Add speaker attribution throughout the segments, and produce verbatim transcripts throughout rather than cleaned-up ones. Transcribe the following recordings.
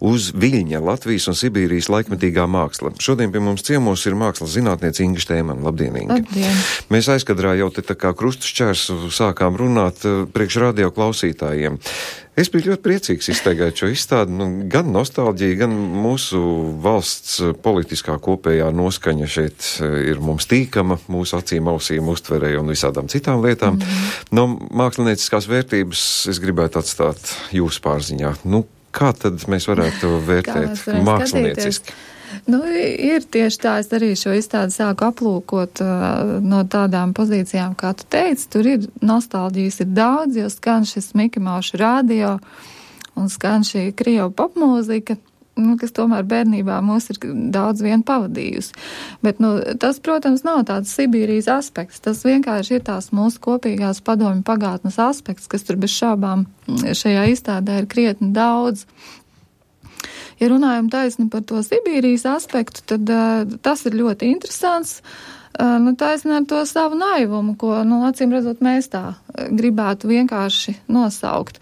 Speaker 1: Uz Viļņa, Latvijas un Sibīrijas laikmetīgā māksla. Šodien pie mums ciemos ir mākslas zinātniece Inga Štēmana. Labdien, Inga.
Speaker 2: Labdien.
Speaker 1: Mēs aizkadrā jau te tā kā krustu šķērsu sākām runāt priekš radio klausītājiem. Es biju ļoti priecīgs izteigāt šo izstādi, nu, gan nostalģija, gan mūsu valsts politiskā kopējā noskaņa šeit ir mums tīkama, mūsu acīm, ausīm, uztverē un visādām citām lietām. Mm-hmm. No mākslinieciskās vērtības es gribētu atstāt jūsu pārziņā. Nu, kā tad mēs varētu vērtēt mākslinieciski?
Speaker 2: Nu, ir tieši tā, es arī šo izstādi sāku aplūkot uh, no tādām pozīcijām, kā tu teici, tur ir nostalģijas ir daudz, jo skan šis Miki Mauša radio un skan šī krievu popmūzika, nu, kas tomēr bērnībā mūs ir daudz vien pavadījusi. Bet, nu, tas, protams, nav tāds Sibīrijas aspekts, tas vienkārši ir tās mūsu kopīgās padomju pagātnes aspekts, kas tur bez šābām šajā izstādē ir krietni daudz. Ja runājam taisni par to Sibīrijas aspektu, tad uh, tas ir ļoti interesants. Uh, nu, taisni ar to savu naivumu, ko, nu, acīm redzot, mēs tā gribētu vienkārši nosaukt.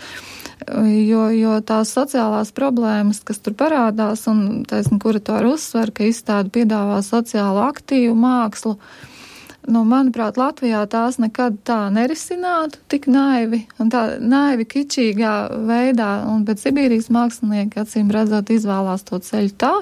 Speaker 2: Jo, jo tās sociālās problēmas, kas tur parādās, un taisni kuratori uzsver, ka izstāde piedāvā sociālu aktīvu mākslu, nu, manuprāt, Latvijā tās nekad tā nerisinātu, tik naivi, un tā naivi kičīgā veidā, un bet Sibīrijas mākslinieki, acīm redzot, izvēlās to ceļu tā.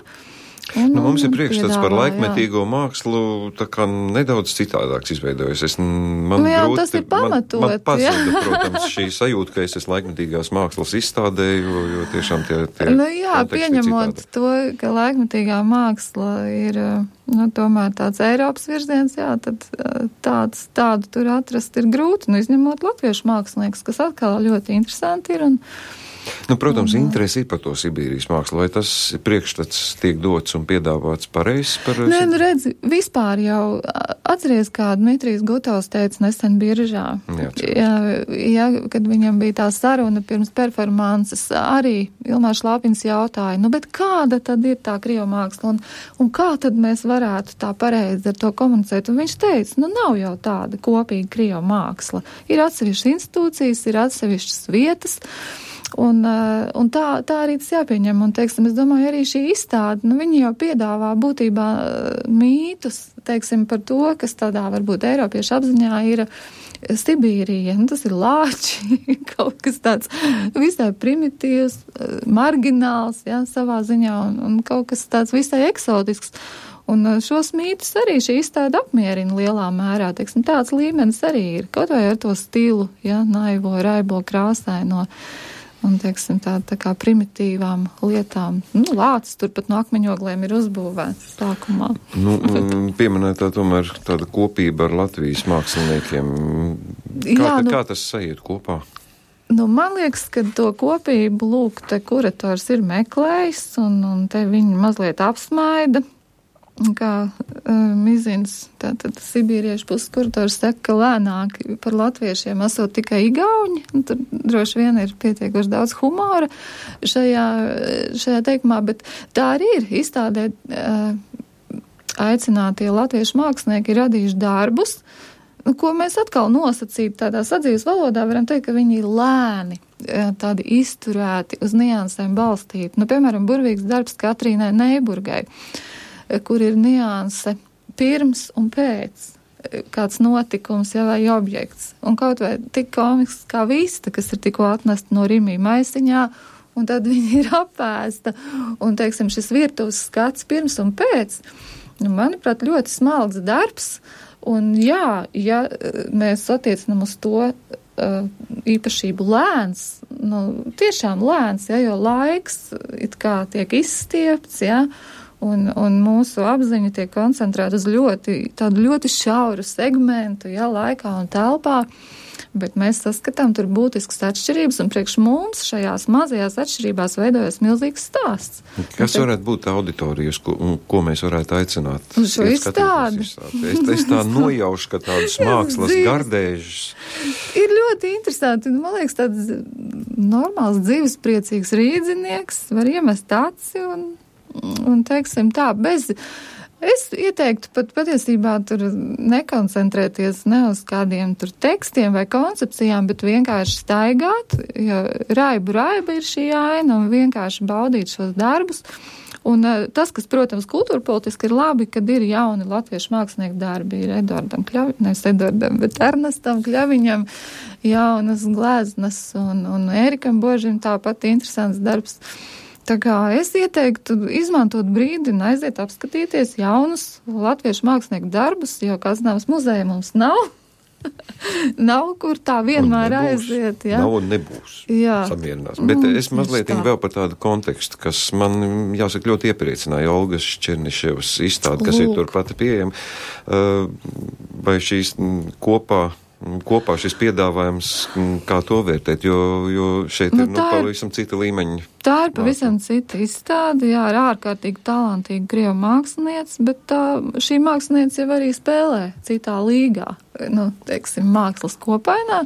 Speaker 2: Un,
Speaker 1: nu, mums ir priekšstats par
Speaker 2: piedāvā,
Speaker 1: laikmetīgo jā. Mākslu, tā kā nedaudz citādāks izveidojas. Es, man
Speaker 2: nu, jā,
Speaker 1: grūti,
Speaker 2: tas ir pamatot.
Speaker 1: Man, man pazuda, protams, šī sajūta, ka es esmu laikmetīgās mākslas izstādē, jo, jo tiešām tie, tie
Speaker 2: nu, jā, pieņemot to, ka laikmetīgā māksla ir, nu, tomēr tāds Eiropas virziens, jā, tad tāds, tādu tur atrast ir grūti, nu, izņemot latviešu mākslinieks, kas atkal ļoti interesanti ir un
Speaker 1: Nu, protams, un, interesi ir par to Sibīrijas mākslu, vai tas priekšstats tiek dots un piedāvāts pareizs par...
Speaker 2: Nē, nu redzi, vispār jau atceries, kā Dmitrijs Gutovs teica nesen Biržā. Jā, jā, jā, kad viņam bija tā saruna pirms performances, arī Ilmārs Lāpins jautāja, nu, bet kāda tad ir tā krievu māksla un, un kā tad mēs varētu tā pareizi ar to komunicēt? Un viņš teica, nu, nav jau tāda kopīga krievu māksla. Ir atsevišķas institūcijas, ir atsevišķas vietas, Un, un tā, tā arī tas jāpieņem. Un, teiksim, es domāju, arī šī izstāde, nu, viņi jau piedāvā būtībā mītus, teiksim, par to, kas tādā varbūt Eiropiešu apziņā ir Sibīrija. Nu, tas ir lāči, kaut kas tāds visai primitīvs, margināls, jā, savā ziņā, un, un kaut kas tāds visai eksotisks. Un šos mītus arī šī izstāde apmierina lielā mērā, teiksim, tāds līmenis arī ir, kaut vai ar to stilu, jā, naivo, raibo, krāsaino. Un, teiksim, tā, tā kā primitīvām lietām. Nu, lācis turpat no akmeņogliem ir uzbūvēts sākumā.
Speaker 1: Nu, pieminētā tomēr tāda kopība ar Latvijas māksliniekiem. Kā, Jā, nu, kā tas sajiet kopā?
Speaker 2: Nu, man liekas, ka to kopību, lūk, te kurators ir meklējis, un, un te viņi mazliet apsmaida. Kā uh, Mizins, tātad sibīriešu puses kurators saka, ka lēnāk par latviešiem esot tikai igauņi, un tur droši vien ir pietiekoši daudz humora šajā, šajā teikumā, bet tā arī ir izstādē uh, aicinātie latviešu mākslinieki ir radījuši darbus, ko mēs atkal nosacīt tādā sadzīves valodā varam teikt, ka viņi ir lēni, tādi izturēti, uz niansēm balstīti. Nu, piemēram, burvīgs darbs Katrīnai Neiburgai, kur ir nianse pirms un pēc kāds notikums, ja, vai objekts. Un kaut vai tik komisks kā vista, kas ir tikko atnesta no Rimī maisiņā, un tad viņa ir apēsta. Un, teiksim, šis virtuves skats pirms un pēc, nu, manuprāt, ļoti smalks darbs. Un jā, ja mēs attiecinam uz to uh, īpašību lēns, nu, tiešām lēns, ja, jo laiks it kā tiek izstiepts, ja, Un, un mūsu apziņa tiek koncentrēta uz ļoti, tādu ļoti šauru segmentu, jā, laikā un telpā, bet mēs saskatām tur būtiskas atšķirības, un priekš mums šajās mazajās atšķirībās veidojas milzīgs stāsts.
Speaker 1: Kas un, varētu būt auditorijas, ko, ko mēs varētu aicināt?
Speaker 2: Uz šo izstādi.
Speaker 1: Es, es tā nojaušu, ka tādas mākslas gardēžas.
Speaker 2: Ir ļoti interesanti, man liekas, tāds normāls dzīves priecīgs rīdzinieks var iemest aci un Un, teiksim tā, bez, Es ieteiktu pat patiesībā tur nekoncentrēties ne uz kādiem tur tekstiem vai koncepcijām, bet vienkārši staigāt, jo raibu raiba ir šī aina un vienkārši baudīt šos darbus. Un tas, kas, protams, kultūrpolitiski ir labi, kad ir jauni latviešu mākslinieku darbi, ir Edvardam Kļaviņam, nevis Edvardam, bet Ernestam Kļaviņam jaunas gleznas un, un Ērikam Božim tāpat interesants darbs. Tā kā es ieteiktu izmantot brīdi un aiziet apskatīties jaunus latviešu mākslinieku darbus, jo Kaznavas muzeja mums nav. Nav, kur tā vienmēr aiziet. Jā.
Speaker 1: Nav un nebūs.
Speaker 2: Jā.
Speaker 1: Samierinās. Bet mm, es mazliet tā. Vēl par tādu kontekstu, kas man, jāsaka, ļoti iepriecināja Olgas Černiševas izstāde, kas Lūk. Ir turpat pieejama. Vai šīs kopā kopā šis piedāvājums, kā to vērtēt, jo, jo šeit nu, ir nu, pavisam cita līmeņa.
Speaker 2: Tā ir pavisam cita izstāde, jā, ir ārkārtīgi talantīga krievu mākslinieca, bet tā, šī mākslinieca jau arī spēlē citā līgā, nu, teiksim, mākslas kopainā,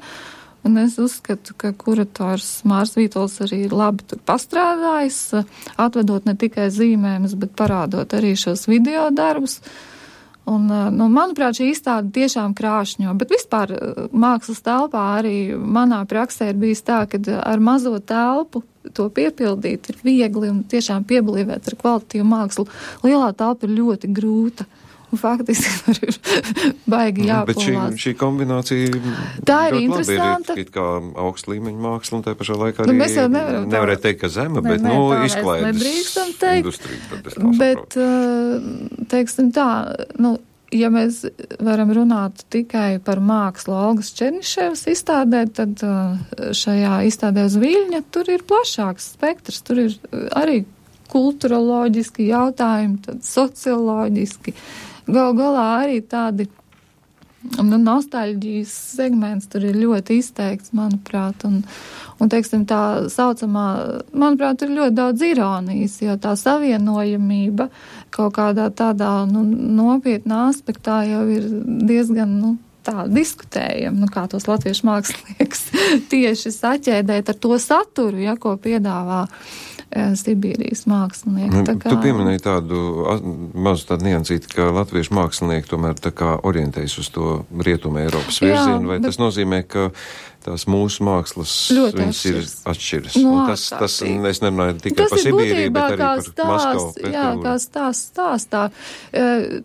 Speaker 2: un es uzskatu, ka kurators Mārs Vītols arī ir labi tur pastrādājis, atvedot ne tikai zīmējumus, bet parādot arī šos video darbus. Un, nu, manuprāt, šī izstāde tiešām krāšņo, bet vispār mākslas telpā arī manā praksē ir bijis tā, ka ar mazo telpu to piepildīt ir viegli un tiešām pieblīvēt ar kvalitatīvu mākslu. Lielā telpa ir ļoti grūta. Un faktiski tur ir baigi jāpalvās.
Speaker 1: Bet šī, šī kombinācija
Speaker 2: tā ir interesanta.
Speaker 1: Ir kā augsta līmeņa māksla un tā pašā laikā arī
Speaker 2: nu, mēs jau nevaram
Speaker 1: nevarētu teikt, ka zema, bet,
Speaker 2: ne,
Speaker 1: nu,
Speaker 2: izklaides
Speaker 1: industrija.
Speaker 2: Bet, teiksim tā, nu, ja mēs varam runāt tikai par mākslu Olgas Černiševas izstādē, tad šajā izstādē uz Viļņa tur ir plašāks spektrs, tur ir arī kulturoloģiski jautājumi, tad socioloģiski. Gal galā arī tādi nu, nostalģijas segments tur ir ļoti izteikts, manuprāt, un, un teiksim, tā saucamā, manuprāt, ir ļoti daudz ironijas, jo tā savienojamība kaut kādā tādā nu, nopietnā aspektā jau ir diezgan, nu, tā diskutējam, nu, kā tos latviešu mākslinieks tieši saķēdēt ar to saturu, ja, ko piedāvā Sibīrijas mākslinieki.
Speaker 1: Tā kā... Tu pieminēji tādu mazu tādu niansīti, ka latviešu mākslinieki tomēr tā kā orientējas uz to Rietuma Eiropas virzienu, vai bet... tas nozīmē, ka tās mūsu mākslas
Speaker 2: ļoti
Speaker 1: viņas ir atšķiras.
Speaker 2: No,
Speaker 1: tas, tas, es nerunāju tikai
Speaker 2: tas
Speaker 1: par Sibīriju, bet arī par
Speaker 2: stāsts,
Speaker 1: Maskavu.
Speaker 2: Jā, kā stāsts stāstā.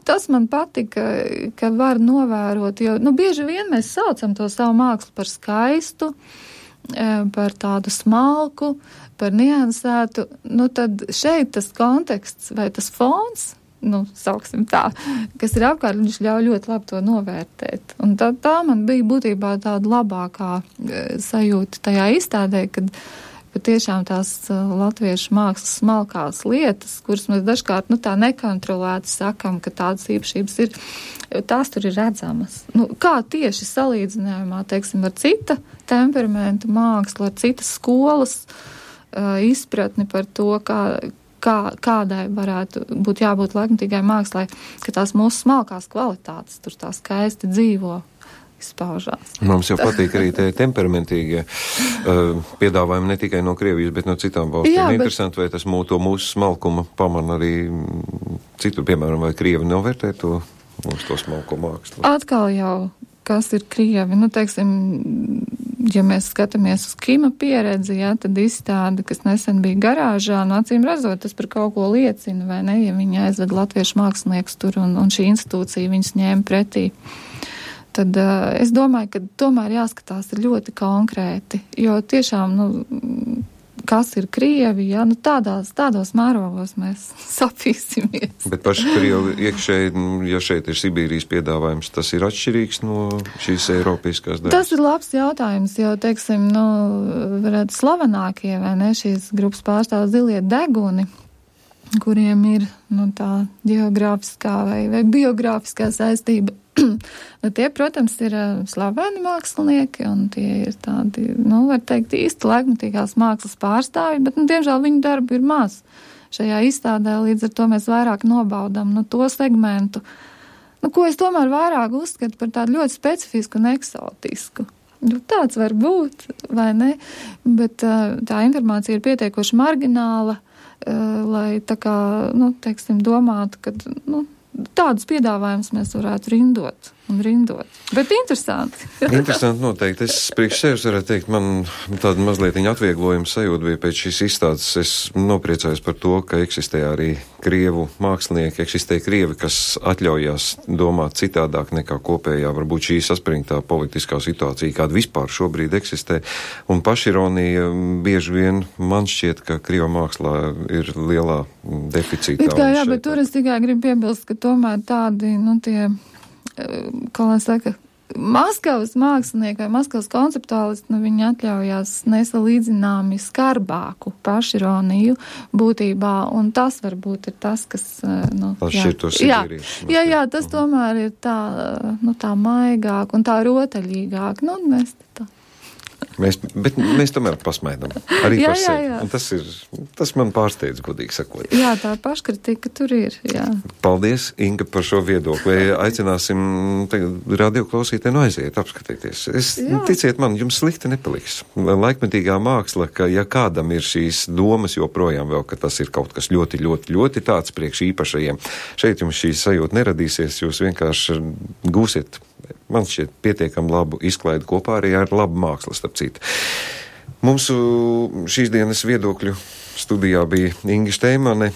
Speaker 2: Tas man patika, ka var novērot, jo, nu, bieži vien mēs saucam to savu mākslu par skaistu, par tādu smalku, par niansētu, nu tad šeit tas konteksts vai tas fons, nu, sauksim tā, kas ir apkārt, viņš ļauj ļoti labi to novērtēt. Un tā, tā man bija būtībā tāda labākā sajūta tajā izstādē, kad patiešām tās latviešu mākslas smalkās lietas, kuras mēs dažkārt, nu, tā nekontrolēti sakam, ka tādas īpašības ir, tās tur ir redzamas. Nu, kā tieši salīdzinājumā, teiksim, ar cita temperamentu mākslu, ar citas skolas uh, izpratni par to, kā, kā, kādai varētu būt jābūt laikmatīgai mākslai, ka tās mūsu smalkās kvalitātes tur tā skaisti dzīvo. Izpaužās.
Speaker 1: Mums jau patīk arī tie temperamentīgie uh, piedāvājumi ne tikai no Krievijas, bet no citām valstīm. Jā, bet... Interesanti, vai tas mūsu, mūsu smalkuma pamana arī citur, piemēram, vai Krievi novērtē to mūsu to smalko mākslu?
Speaker 2: Atkal jau, kas ir Krievi, nu, teiksim, ja mēs skatāmies uz Kima pieredzi, jā, tad izstāde, kas nesen bija garāžā, nu, acīm redzot, tas par kaut ko liecina, vai ne, ja viņi aizved latviešu māksliniekus tur un, un šī institūcija viņus ņēma pretī. Tad uh, es domāju, ka tomēr jāskatās ir ļoti konkrēti, jo tiešām, nu, kas ir Krievi, ja, nu, tādās, tādos mērogos mēs sapīsimies.
Speaker 1: Bet paši Krievi iekšēji, ja šeit ir Sibīrijas piedāvājums, tas ir atšķirīgs no šīs eiropiskās daļas?
Speaker 2: Tas ir labs jautājums, jo, teiksim, nu, varētu slavenākie, vai ne, šīs grupas pārstāv Zilie deguni, kuriem ir, nu, tā geogrāfiskā vai, vai biogrāfiskā saistība. Nu, tie, protams, ir slaveni mākslinieki, un tie ir tādi, nu, var teikt, īsti laikmatīgās mākslas pārstāvji, bet, nu, diemžēl viņu darbu ir maz šajā izstādē, līdz ar to mēs vairāk nobaudam, nu, to segmentu, nu, ko es tomēr vairāk uzskatu par tādu ļoti specifisku un eksotisku. Nu, tāds var būt, vai ne, bet tā informācija ir pietiekoši margināla, lai tā kā, nu, teiksim, domātu, ka, nu, tādus piedāvājumus mēs varētu rindot un rindot. Bet interesanti.
Speaker 1: Interesanti noteikti. Es priekš sevis varētu teikt, man tāda mazliet atvieglojuma sajūta bija pēc šīs izstādes. Es nopriecājos par to, ka eksistē arī krievu mākslinieki, eksistē krievi, kas atļaujās domāt citādāk nekā kopējā, varbūt šī saspringtā politiskā situācija, kāda vispār šobrīd eksistē. Un pašironija bieži vien man šķiet, ka krieva mākslā ir lielā deficītā.
Speaker 2: It kā jā, bet tur es tikai gribu piebilst, ka tomēr tādi, nu tie, kā lai saka, Maskavas mākslinieki vai Maskavas konceptuālisti, nu viņi atļaujās nesalīdzināmi skarbāku pašironiju būtībā, un tas varbūt ir tas, kas, nu,
Speaker 1: jā, jā,
Speaker 2: jā, jā, tas tomēr ir tā, nu, tā maigāk un tā rotaļīgāk, nu, un mēs tā.
Speaker 1: Mēs, bet mēs tomēr pasmaidam arī
Speaker 2: jā,
Speaker 1: par sevi.
Speaker 2: Jā, jā.
Speaker 1: Un tas ir, tas man pārsteidz, godīgi sakot.
Speaker 2: Jā, tā paškritika tur ir, jā.
Speaker 1: Paldies, Inga, par šo viedokli. Aicināsim radioklausītēju aiziet, apskatīties. Es, jā. Ticiet man, jums slikti nepaliks. Laikmetīgā māksla, ka ja kādam ir šīs domas joprojām vēl, ka tas ir kaut kas ļoti, ļoti, ļoti tāds priekš īpašajiem, šeit jums šī sajūta neradīsies, jūs vienkārši gūsiet, man šķiet, pietiekam labu izklaidi kopā arī ar labu mākslu, starp citu. Mūsu šīs dienas viedokļu studijā bija Inga Šteimane,